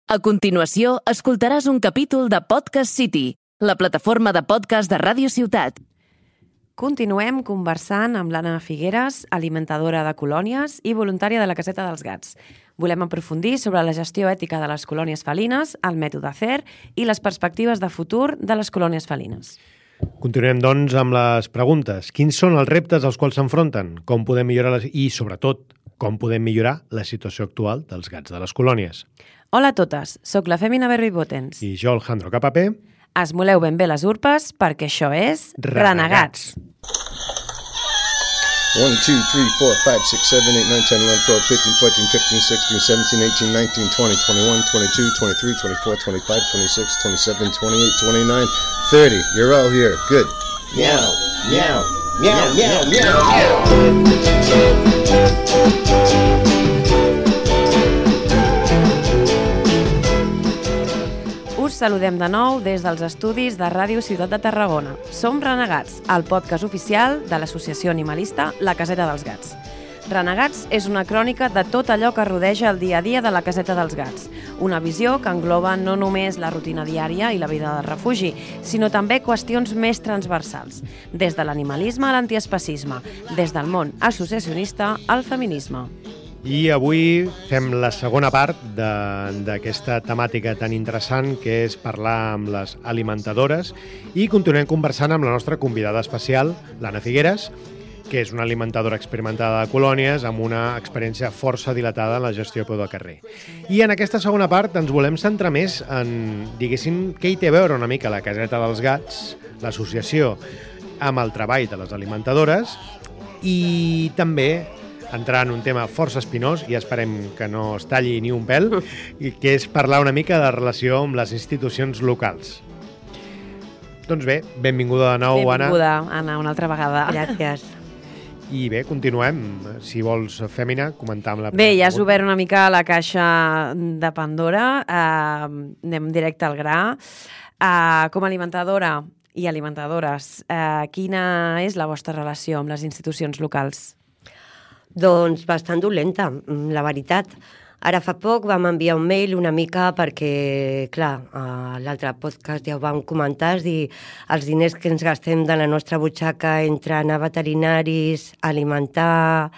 A continuació, escoltaràs un capítol de Podcast City, la plataforma de podcast de Ràdio Ciutat. Continuem conversant amb l'Anna Figueres, alimentadora de colònies i voluntària de la Caseta dels Gats. Volem aprofundir sobre la gestió ètica de les colònies felines, el mètode CER i les perspectives de futur de les colònies felines. Continuem, doncs, amb les preguntes. Quins són els reptes als quals s'enfronten? Com podem millorar i, sobretot, com podem millorar la situació actual dels gats de les colònies? Hola a totes, sóc la Fèmina Berri-Botens. I jo, Alejandro Capapé. Esmoleu ben bé les urpes perquè això és Renegats. 1, 2, 3, 4, 5, 6, 7, 8, 9, 10, 11, 12, 13, 14, 15, 16, 17, 18, 19, 20, 21, 22, 23, 24, 25, 26, 27, 28, 29, 30. You're all here. Good. Meow, meow, meow, meow, meow, meow. Us saludem de nou des dels estudis de Ràdio Ciutat de Tarragona. Som Renegats, el podcast oficial de l'associació animalista La Caseta dels Gats. Renegats és una crònica de tot allò que rodeja el dia a dia de la Caseta dels Gats. Una visió que engloba no només la rutina diària i la vida de refugi, sinó també qüestions més transversals, des de l'animalisme a l'antiespecisme, des del món associacionista al feminisme. I avui fem la segona part d'aquesta temàtica tan interessant que és parlar amb les alimentadores i continuem conversant amb la nostra convidada especial, l'Anna Figueres, que és una alimentadora experimentada de colònies amb una experiència força dilatada en la gestió a peu de carrer. I en aquesta segona part ens volem centrar més en, diguéssim, què hi té a veure una mica la Caseta dels Gats, l'associació, amb el treball de les alimentadores i també entrar en un tema força espinós i esperem que no es talli ni un pèl, i que és parlar una mica de la relació amb les institucions locals. Doncs bé, benvinguda de nou, Anna. Benvinguda, Anna, una altra vegada. Gràcies. I bé, continuem. Si vols, Fèmina, comentar amb la... Bé, ja has obert una mica la caixa de Pandora. Anem directe al gra. Com a alimentadora i alimentadores, quina és la vostra relació amb les institucions locals? Doncs bastant dolenta, la veritat. Ara fa poc vam enviar un mail una mica perquè, clar, a l'altre podcast ja ho vam comentar, és dir, els diners que ens gastem de la nostra butxaca entre anar a veterinaris, alimentar,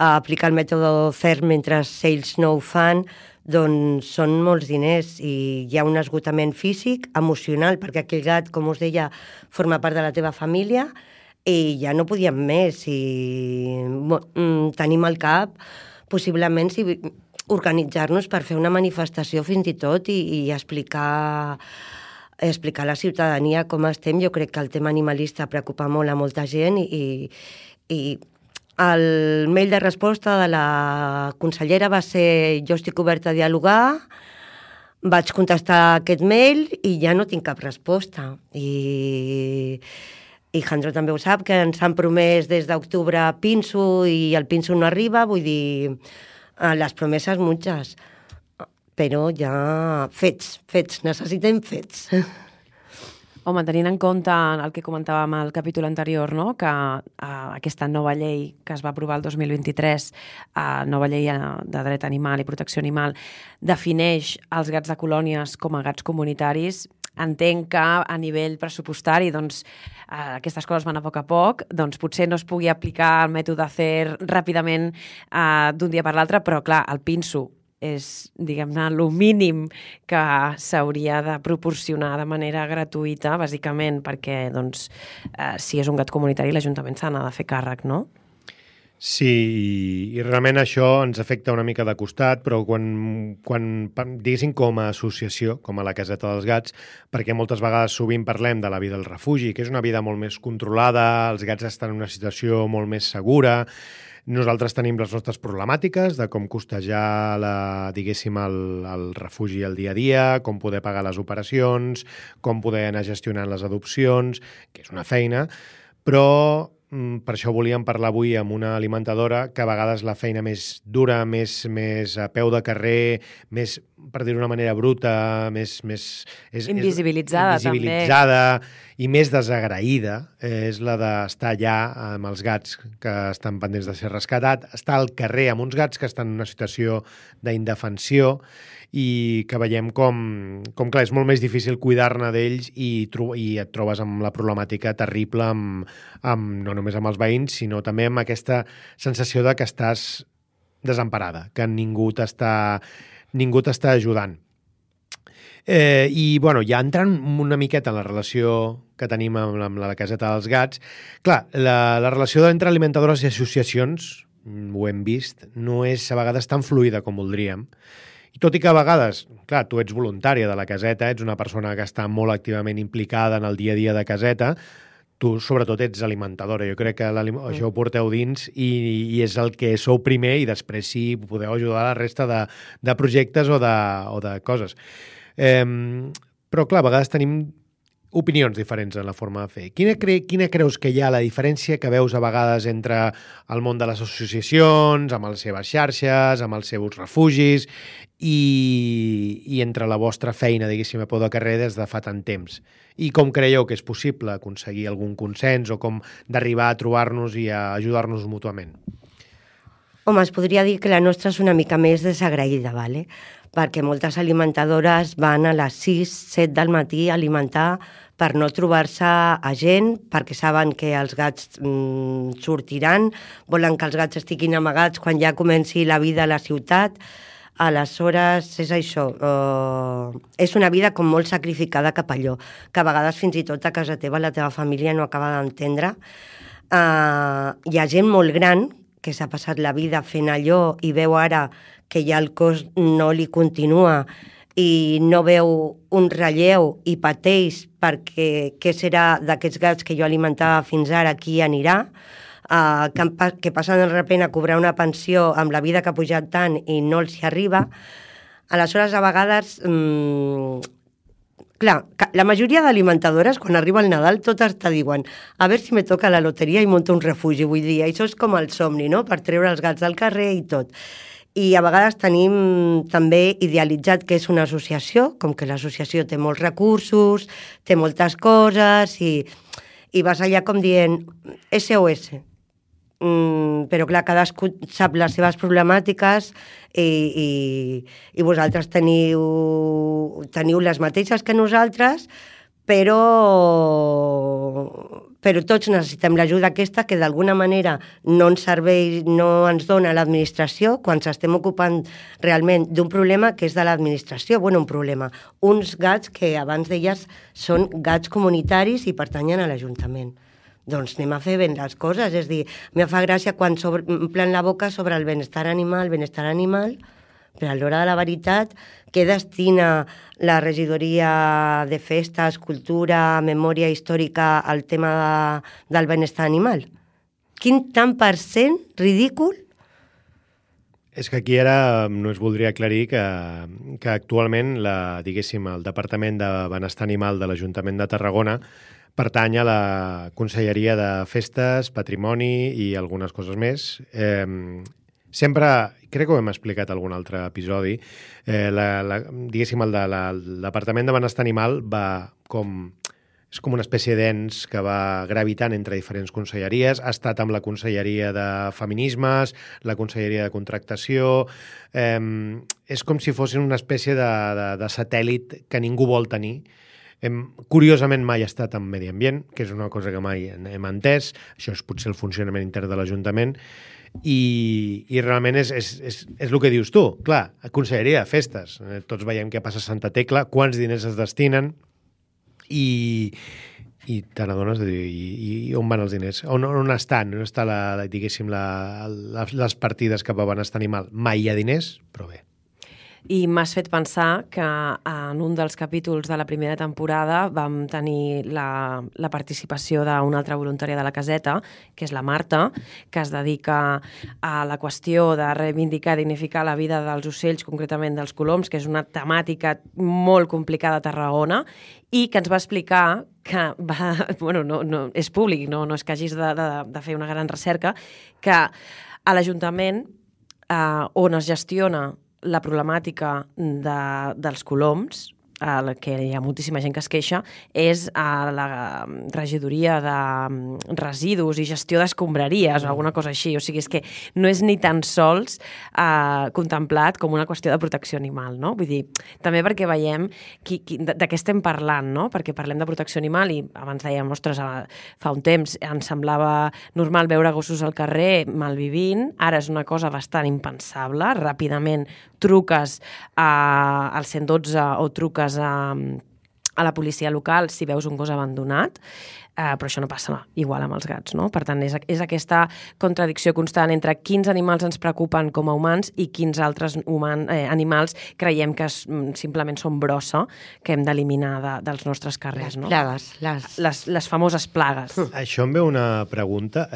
aplicar el mètode CER mentre ells no ho fan, doncs són molts diners i hi ha un esgotament físic, emocional, perquè aquell gat, com us deia, forma part de la teva família, i ja no podíem més i tenim al cap possiblement organitzar-nos per fer una manifestació fins i tot i explicar a la ciutadania com estem. Jo crec que el tema animalista preocupa molt a molta gent i el mail de resposta de la consellera va ser: jo estic oberta a dialogar. Vaig contestar aquest mail i ja no tinc cap resposta i Jandro també ho sap, que ens han promès des d'octubre pinso i el pinso no arriba, vull dir, les promeses muchas, però ja fets, necessitem fets. Home, tenint en compte el que comentàvem al capítol anterior, no? Que aquesta nova llei que es va aprovar el 2023, nova llei de dret animal i protecció animal, defineix els gats de colònies com a gats comunitaris. Entenc que a nivell pressupostari doncs, aquestes coses van a poc, doncs potser no es pugui aplicar el mètode CER ràpidament d'un dia per l'altre, però clar, el pinso és, diguem-ne, el mínim que s'hauria de proporcionar de manera gratuïta, bàsicament, perquè doncs, si és un gat comunitari l'Ajuntament se n'ha de fer càrrec, no? Sí, i realment això ens afecta una mica de costat, però quan diguéssim com a associació, com a la Caseta dels Gats, perquè moltes vegades sovint parlem de la vida al refugi, que és una vida molt més controlada, els gats estan en una situació molt més segura, nosaltres tenim les nostres problemàtiques de com costejar diguéssim, el refugi al dia a dia, com poder pagar les operacions, com poder anar gestionant les adopcions, que és una feina, però per això volíem parlar avui amb una alimentadora que a vegades la feina més dura, més a peu de carrer, més, per dir-ho d'una manera bruta, més invisibilitzada i més desagraïda, és la d'estar allà amb els gats que estan pendents de ser rescatats, estar al carrer amb uns gats que estan en una situació d'indefensió i que veiem com clar, és molt més difícil cuidar-ne d'ells i et trobes amb la problemàtica terrible no només amb els veïns, sinó també amb aquesta sensació de que estàs desemparada, que ningú t'està ajudant. I, bueno, ja entrant una miqueta en la relació que tenim amb la caseta dels gats, clar, la relació entre alimentadores i associacions, ho hem vist, no és a vegades tan fluida com voldríem. I tot i que a vegades, clar, tu ets voluntària de la caseta, ets una persona que està molt activament implicada en el dia a dia de caseta, tu sobretot ets alimentadora. Jo crec que això ho porteu dins i és el que sou primer i després sí podeu ajudar a la resta de projectes o de coses. Però, clar, a vegades tenim opinions diferents en la forma de fer. Quina creus que hi ha la diferència que veus a vegades entre el món de les associacions, amb les seves xarxes, amb els seus refugis i entre la vostra feina, diguéssim, a peu de carrer des de fa tant temps? I com creieu que és possible aconseguir algun consens o com d'arribar a trobar-nos i a ajudar-nos mútuament? Home, es podria dir que la nostra és una mica més desagraïda, ¿vale? Perquè moltes alimentadores van a les 6-7 del matí a alimentar per no trobar-se a gent, perquè saben que els gats sortiran, volen que els gats estiguin amagats quan ja comenci la vida a la ciutat. Aleshores, és això, és una vida com molt sacrificada cap allò, que a vegades fins i tot a casa teva la teva família no acaba d'entendre. Hi ha gent molt gran que s'ha passat la vida fent allò i veu ara que ja el cos no li continua i no veu un relleu i pateix perquè què serà d'aquests gats que jo alimentava fins ara, qui anirà, que passen de repente a cobrar una pensió amb la vida que ha pujat tant i no els hi arriba. Aleshores, a vegades... Clar, la majoria d'alimentadores, quan arriba el Nadal, totes te diuen a veure si me toca la loteria i monto un refugi. Vull dir, això és com el somni, no?, per treure els gats del carrer i tot. I a vegades tenim també idealitzat que és una associació, com que l'associació té molts recursos, té moltes coses, i vas allà com dient SOS. Però clar, cadascú sap les seves problemàtiques i vosaltres teniu les mateixes que nosaltres, però tots necessitem l'ajuda aquesta que d'alguna manera no ens serveix, no ens dona l'administració quan s'estem ocupant realment d'un problema que és de l'administració. Bueno, un problema. Uns gats que abans deies són gats comunitaris i pertanyen a l'Ajuntament. Doncs anem a fer ben les coses, és dir, me fa gràcia quan omplen la boca sobre el benestar animal, però a l'hora de la veritat, què destina la regidoria de festes, cultura, memòria històrica al tema del benestar animal? Quin tant per cent ridícul? És que aquí ara no es voldria aclarir que actualment diguéssim, el Departament de Benestar Animal de l'Ajuntament de Tarragona pertany a la Conselleria de Festes, Patrimoni i algunes coses més. Sempre, crec que ho hem explicat en algun altre episodi, diguéssim, el Departament de Benestar Animal és com una espècie d'ens que va gravitant entre diferents conselleries. Ha estat amb la Conselleria de Feminismes, la Conselleria de Contractació... És com si fossin una espècie de satèl·lit que ningú vol tenir. Curiosament mai ha estat en Medi Ambient, que és una cosa que mai hem entès. Això és potser el funcionament intern de l'Ajuntament. I realment és el que dius tu. Clar, Conselleria de Festes. Tots veiem què passa a Santa Tecla, quants diners es destinen i te n'adones de dir, i on van els diners? On estan? On estan, diguéssim, les partides cap a benestar animal? Mai hi ha diners, però bé. I m'has fet pensar que en un dels capítols de la primera temporada vam tenir la participació d'una altra voluntària de la caseta, que és la Marta, que es dedica a la qüestió de reivindicar i dignificar la vida dels ocells, concretament dels coloms, que és una temàtica molt complicada a Tarragona, i que ens va explicar que no és públic, no és que hagis de fer una gran recerca, que a l'Ajuntament on es gestiona la problemàtica dels coloms que hi ha moltíssima gent que es queixa, és la regidoria de residus i gestió d'escombraries o alguna cosa així. O sigui, és que no és ni tan sols contemplat com una qüestió de protecció animal, no? Vull dir, també perquè veiem de què estem parlant, no? Perquè parlem de protecció animal i abans dèiem, ostres, fa un temps ens semblava normal veure gossos al carrer malvivint, ara és una cosa bastant impensable, ràpidament truques al 112 o truques a la policia local si veus un gos abandonat, però això no passa igual amb els gats, no? Per tant, és aquesta contradicció constant entre quins animals ens preocupen com a humans i quins altres animals creiem que simplement són brossa que hem d'eliminar dels nostres carrers, no? Les plagues. Les famoses plagues. Això em ve una pregunta.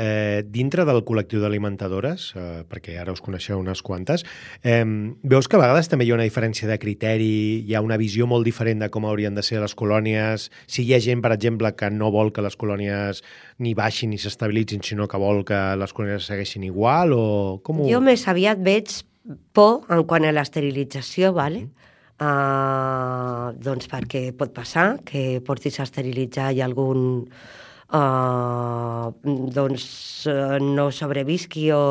Dintre del col·lectiu d'alimentadores, perquè ara us coneixeu unes quantes, veus que a vegades també hi ha una diferència de criteri, hi ha una visió molt diferent de com haurien de ser les colònies? Si hi ha gent, per exemple, que no vol que les colònies ni baixin ni s'estabilitzin, sinó que vol que les colònies segueixin igual, o com ho... Jo més aviat veig por en quant a l'esterilització, ¿vale? Doncs perquè pot passar que portis a esterilitzar i algun no sobrevisqui o...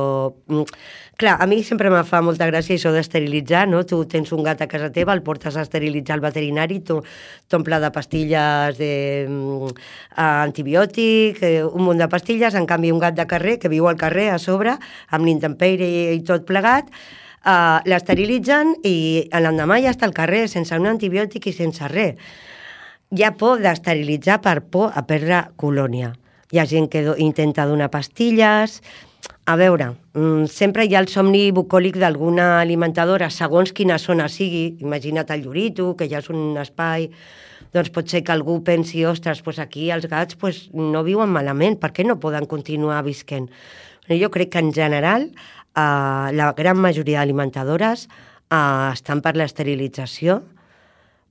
Clar, a mi sempre me fa molta gràcia això d'esterilitzar, no? Tu tens un gat a casa teva, el portes a esterilitzar al veterinari, t'omple de pastilles antibiòtic, un munt de pastilles, en canvi un gat de carrer que viu al carrer a sobre, amb l'intempèrie i tot plegat, l'esterilitzen i l'endemà ja està al carrer sense un antibiòtic i sense res. Hi ha por d'esterilitzar per por a perdre colònia. Hi ha gent que intenta donar pastilles. A veure, sempre hi ha el somni bucòlic d'alguna alimentadora, segons quina zona sigui. Imagina't el Llorito, que ja és un espai, doncs pot ser que algú pensi, ostres, doncs aquí els gats no viuen malament, per què no poden continuar visquent? Jo crec que en general la gran majoria d'alimentadores estan per l'esterilització,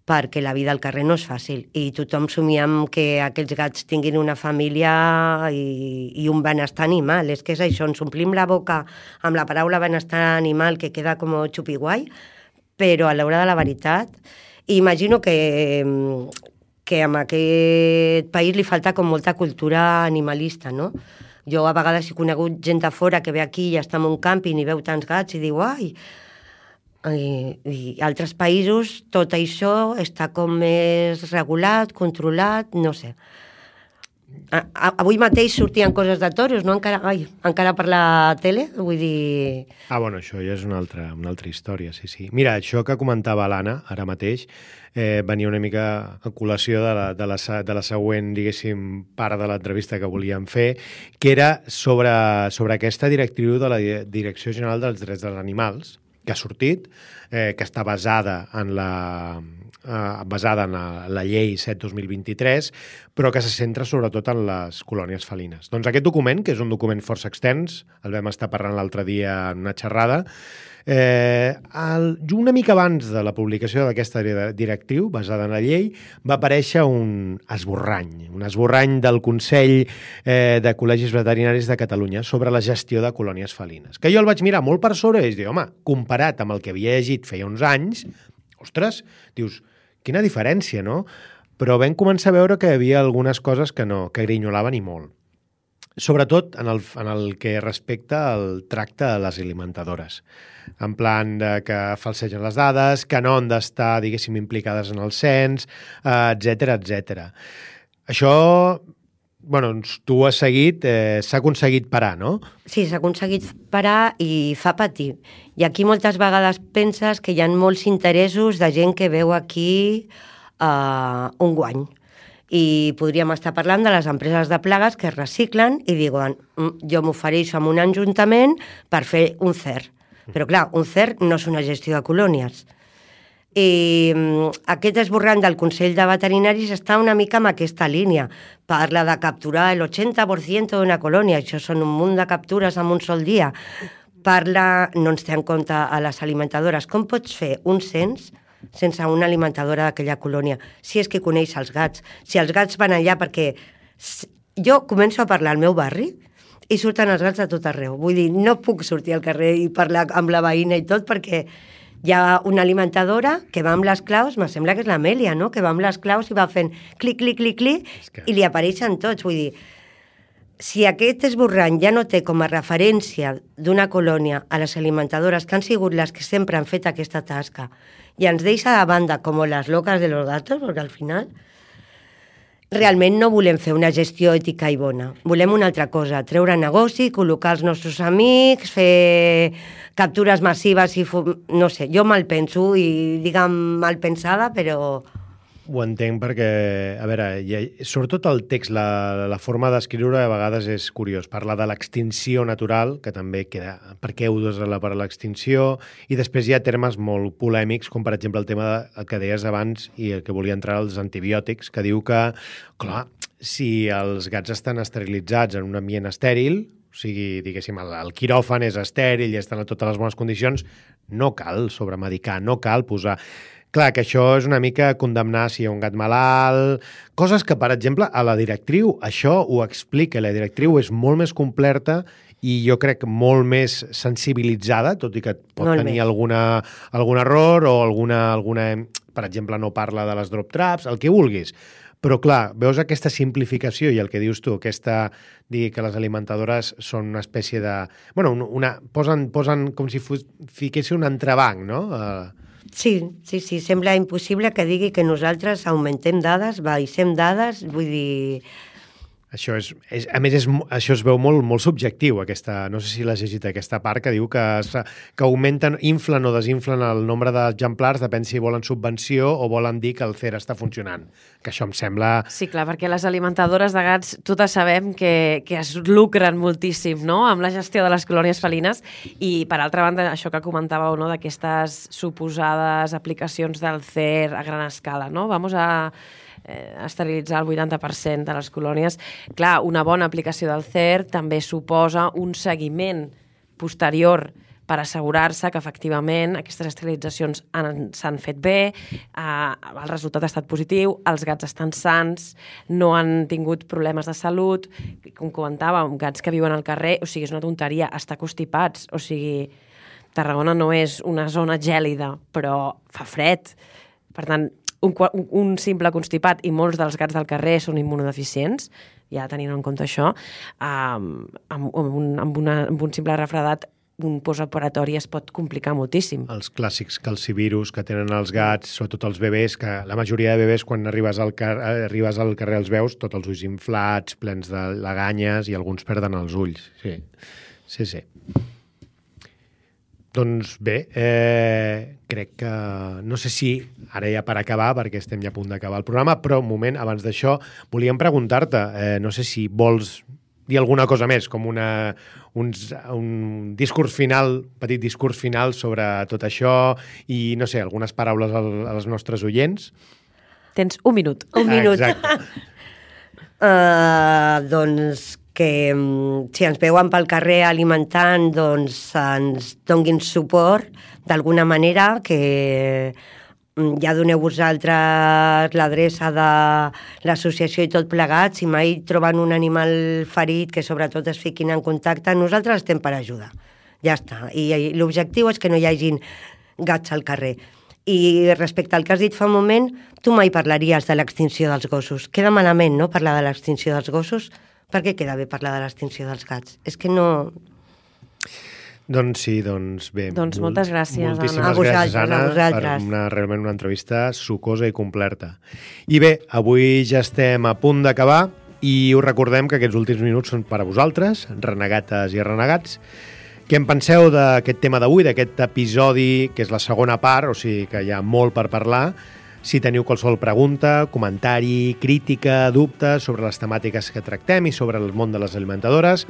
perquè la vida al carrer no és fàcil i tothom somiem que aquells gats tinguin una família i un benestar animal. És que és això, ens omplim la boca amb la paraula benestar animal que queda com xupiguai, però a l'hora de la veritat, imagino que en aquest país li falta com molta cultura animalista, no? Jo a vegades he conegut gent de fora que ve aquí i està en un càmping i veu tants gats i diu, ai... I altres països tot això està com més regulat, controlat, no sé. Avui mateix sortien coses de toros, no? Encara per la tele, vull dir... Bueno, això ja és una altra història, sí. Mira, això que comentava l'Anna ara mateix venia una mica a col·lació de la següent, diguéssim, part de l'entrevista que volíem fer, que era sobre aquesta directriu de la Direcció General dels Drets dels Animals, que ha sortit, que està basada en la llei 7/2023, però que se centra sobretot en les colònies felines. Doncs aquest document, que és un document força extens, el vam estar parlant l'altre dia en una xerrada, una mica abans de la publicació d'aquesta directriu, basada en la llei, va aparèixer un esborrany del Consell de Col·legis Veterinaris de Catalunya sobre la gestió de colònies felines. Que jo el vaig mirar molt per sobre i vaig dir, home, comparat amb el que havia llegit feia uns anys, ostres, dius, quina diferència, no? Però vam començar a veure que hi havia algunes coses que grinyolaven i molt. Sobretot en el que respecta al tracte de les alimentadores. En plan que falsegen les dades, que no han d'estar, diguéssim, implicades en el cens, etc. Això, tu has seguit, s'ha aconseguit parar, no? Sí, s'ha aconseguit parar i fa patir. I aquí moltes vegades penses que hi ha molts interessos de gent que veu aquí un guany. I podríem estar parlant de les empreses de plagues que es reciclen i diuen, jo m'ofereixo amb un ajuntament per fer un CER. Però clar, un CER no és una gestió de colònies. I aquest esborrany del Consell de Veterinaris està una mica en aquesta línia. Parla de capturar el 80% d'una colònia, això són un munt de captures en un sol dia. No ens té en compte a les alimentadores. Com pots fer un cens sense una alimentadora d'aquella colònia, si és que coneix els gats, si els gats van allà perquè... Jo començo a parlar al meu barri i surten els gats a tot arreu. Vull dir, no puc sortir al carrer i parlar amb la veïna i tot perquè Hi ha una alimentadora que va amb les claus, me sembla que és l'Amèlia, no?, que va amb les claus i va fent clic, clic, clic, clic, i li apareixen tots. Vull dir, si aquest esborrany ja no té com a referència d'una colònia a les alimentadores que han sigut les que sempre han fet aquesta tasca i ens deixa de banda com les locas de los gatos, perquè al final realment no volem fer una gestió ètica i bona. Volem una altra cosa, treure negoci, col·locar els nostres amics, fer captures massives i... No sé, jo mal penso i diguem mal pensada, però... Ho entenc perquè, a veure, sobretot el text, la forma d'escriure a vegades és curiós. Parla de l'extinció natural, que també queda per què heu d'usar per a l'extinció, i després hi ha termes molt polèmics, com per exemple el tema del que deies abans i el que volia entrar als antibiòtics, que diu que, clar, si els gats estan esterilitzats en un ambient estèril, o sigui, diguéssim, el quiròfan és estèril i estan a totes les bones condicions, no cal sobremedicar, no cal posar... Clar, que això és una mica condemnar si hi ha un gat malalt... Coses que, per exemple, a la directriu això ho explica. La directriu és molt més completa i jo crec molt més sensibilitzada, tot i que pot molt tenir més. algun error o alguna... Per exemple, no parla de les drop traps, el que vulguis. Però, clar, veus aquesta simplificació i el que dius tu, dir que les alimentadores són una espècie de... Bueno, posen com si fiquessin un entrebanc, no? Sí, sembla impossible que digui que nosaltres augmentem dades, baixem dades, vull dir... Això a més, això es veu molt subjectiu, no sé si l'has llegit aquesta part, que diu que augmenten, inflen o desinflen el nombre d'exemplars, depèn si volen subvenció o volen dir que el CER està funcionant, que això em sembla... Sí, clar, perquè les alimentadores de gats totes sabem que es lucren moltíssim, no?, amb la gestió de les colònies felines, i per altra banda, això que comentàveu, no?, d'aquestes suposades aplicacions del CER a gran escala, no?, vamos a esterilitzar el 80% de les colònies. Clar, una bona aplicació del CER també suposa un seguiment posterior per assegurar-se que efectivament aquestes esterilitzacions s'han fet bé, el resultat ha estat positiu, els gats estan sans, no han tingut problemes de salut, com comentàvem, gats que viuen al carrer, o sigui, és una tonteria, estar constipats, o sigui, Tarragona no és una zona gèlida, però fa fred, per tant, un simple constipat, i molts dels gats del carrer són immunodeficients, ja tenint en compte això, amb un simple refredat, un postoperatori es pot complicar moltíssim. Els clàssics calcivirus que tenen els gats, sobretot els bebès, que la majoria de bebès, quan arribes al carrer els veus, tots els ulls inflats, plens de laganyes, i alguns perden els ulls. Sí. Doncs bé, crec que... No sé si ara ja per acabar, perquè estem ja a punt d'acabar el programa, però un moment, abans d'això, volíem preguntar-te, no sé si vols dir alguna cosa més, com un discurs final, petit discurs final sobre tot això i, no sé, algunes paraules als nostres oients. Tens un minut. Un minut. Exacte. Doncs que si ens veuen pel carrer alimentant, doncs ens donguin suport d'alguna manera, que ja doneu vosaltres l'adreça de l'associació i tot plegat. Si mai troben un animal ferit, que sobretot es fiquin en contacte, nosaltres estem per ajudar. Ja està. I l'objectiu és que no hi hagin gats al carrer. I respecte al que has dit fa un moment, tu mai parlaries de l'extinció dels gossos. Queda malament, no?, parlar de l'extinció dels gossos. Per què queda bé parlar de l'extinció dels gats? És que no... Doncs sí, doncs bé. Doncs moltes gràcies, Anna. Moltíssimes gràcies, Anna, per realment una entrevista sucosa i completa. I bé, avui ja estem a punt d'acabar i us recordem que aquests últims minuts són per a vosaltres, renegates i renegats. Què en penseu d'aquest tema d'avui, d'aquest episodi, que és la segona part, o sigui que hi ha molt per parlar? Si teniu qualsevol pregunta, comentari, crítica, dubte sobre les temàtiques que tractem i sobre el món de les alimentadores,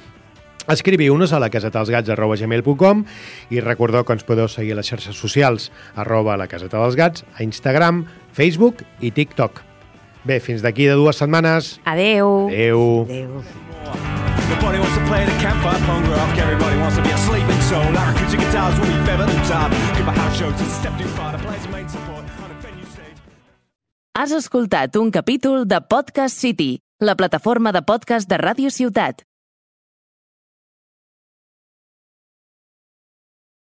escriviu-nos a lacasetadelsgats@gmail.com i recordeu que ens podeu seguir a les xarxes socials @lacasetadelsgats, a Instagram, Facebook i TikTok. Bé, fins d'aquí de 2 setmanes. Adeu. Adeu. Adéu. Nobody wants to play the campfire punk rock. Everybody wants to be a sleeping soul. Like acoustic guitars will be better than top. Give a house show to step too far to play some main support on a venue stage. Has escoltat un capítol de Podcast City, la plataforma de podcast de Ràdio Ciutat.